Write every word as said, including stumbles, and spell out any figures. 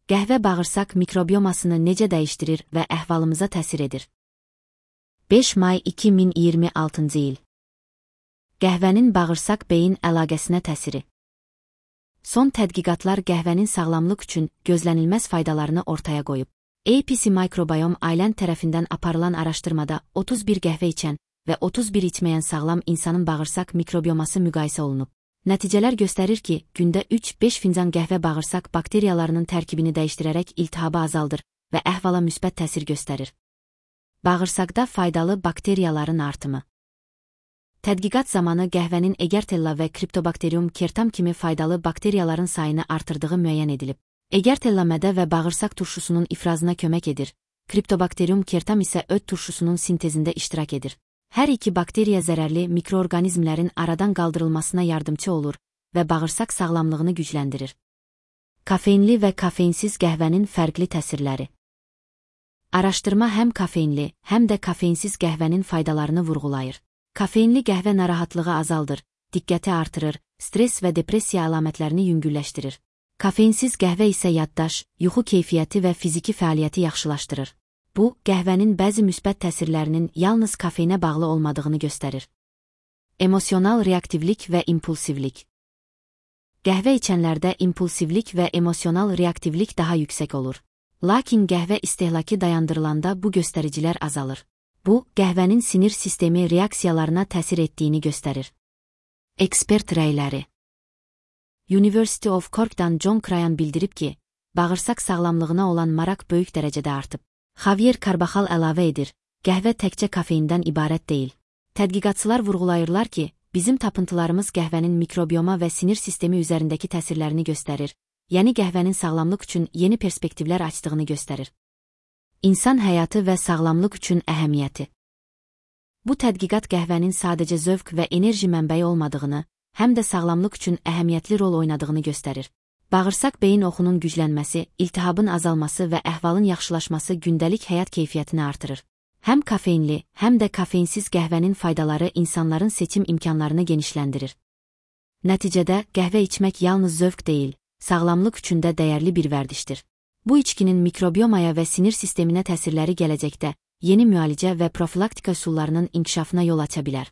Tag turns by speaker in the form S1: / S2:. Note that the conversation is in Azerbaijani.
S1: Qəhvə bağırsaq mikrobiomasını necə dəyişdirir və əhvalımıza təsir edir? beş may iki min iyirmi altıncı il. Qəhvənin bağırsaq-beyin əlaqəsinə təsiri. Son tədqiqatlar qəhvənin sağlamlıq üçün gözlənilməz faydalarını ortaya qoyub. A P C Microbiome Island tərəfindən aparılan araşdırmada otuz bir qəhvə içən və otuz bir içməyən sağlam insanın bağırsaq mikrobioması müqayisə olunub. Nəticələr göstərir ki, gündə üç beş fincan qəhvə bağırsaq bakteriyalarının tərkibini dəyişdirərək iltihabı azaldır və əhvala müsbət təsir göstərir. Bağırsaqda faydalı bakteriyaların artımı. Tədqiqat zamanı qəhvənin Egertella və Cryptobacterium kertam kimi faydalı bakteriyaların sayını artırdığı müəyyən edilib. Egertella mədə və bağırsaq turşusunun ifrazına kömək edir, Cryptobacterium kertam isə öd turşusunun sintezində iştirak edir. Hər iki bakteriya zərərli mikroorqanizmlərin aradan qaldırılmasına yardımçı olur və bağırsaq sağlamlığını gücləndirir. Kafeinli və kafeinsiz qəhvənin fərqli təsirləri. Araşdırma həm kafeinli, həm də kafeinsiz qəhvənin faydalarını vurğulayır. Kafeinli qəhvə narahatlığı azaldır, diqqəti artırır, stres və depressiya əlamətlərini yüngülləşdirir. Kafeinsiz qəhvə isə yaddaş, yuxu keyfiyyəti və fiziki fəaliyyəti yaxşılaşdırır. Bu, qəhvənin bəzi müsbət təsirlərinin yalnız kafeinə bağlı olmadığını göstərir. Emosional reaktivlik və impulsivlik. Qəhvə içənlərdə impulsivlik və emosional reaktivlik daha yüksək olur. Lakin qəhvə istehlakı dayandırılanda bu göstəricilər azalır. Bu, qəhvənin sinir sistemi reaksiyalarına təsir etdiyini göstərir. Ekspert rəyləri. University of Cork'dan John Cryan bildirib ki, bağırsaq sağlamlığına olan maraq böyük dərəcədə artıb. Javier Carvajal əlavə edir, qəhvə təkcə kafeindən ibarət deyil. Tədqiqatçılar vurğulayırlar ki, bizim tapıntılarımız qəhvənin mikrobioma və sinir sistemi üzərindəki təsirlərini göstərir, yəni qəhvənin sağlamlıq üçün yeni perspektivlər açdığını göstərir. İnsan həyatı və sağlamlıq üçün əhəmiyyəti. Bu tədqiqat qəhvənin sadəcə zövq və enerji mənbəyi olmadığını, həm də sağlamlıq üçün əhəmiyyətli rol oynadığını göstərir. Bağırsaq-beyin oxunun güclənməsi, iltihabın azalması və əhvalın yaxşılaşması gündəlik həyat keyfiyyətini artırır. Həm kafeinli, həm də kafeinsiz qəhvənin faydaları insanların seçim imkanlarını genişləndirir. Nəticədə, qəhvə içmək yalnız zövq deyil, sağlamlıq üçün də dəyərli bir vərdişdir. Bu içkinin mikrobiomaya və sinir sisteminə təsirləri gələcəkdə yeni müalicə və profilaktika üsullarının inkişafına yol aça bilər.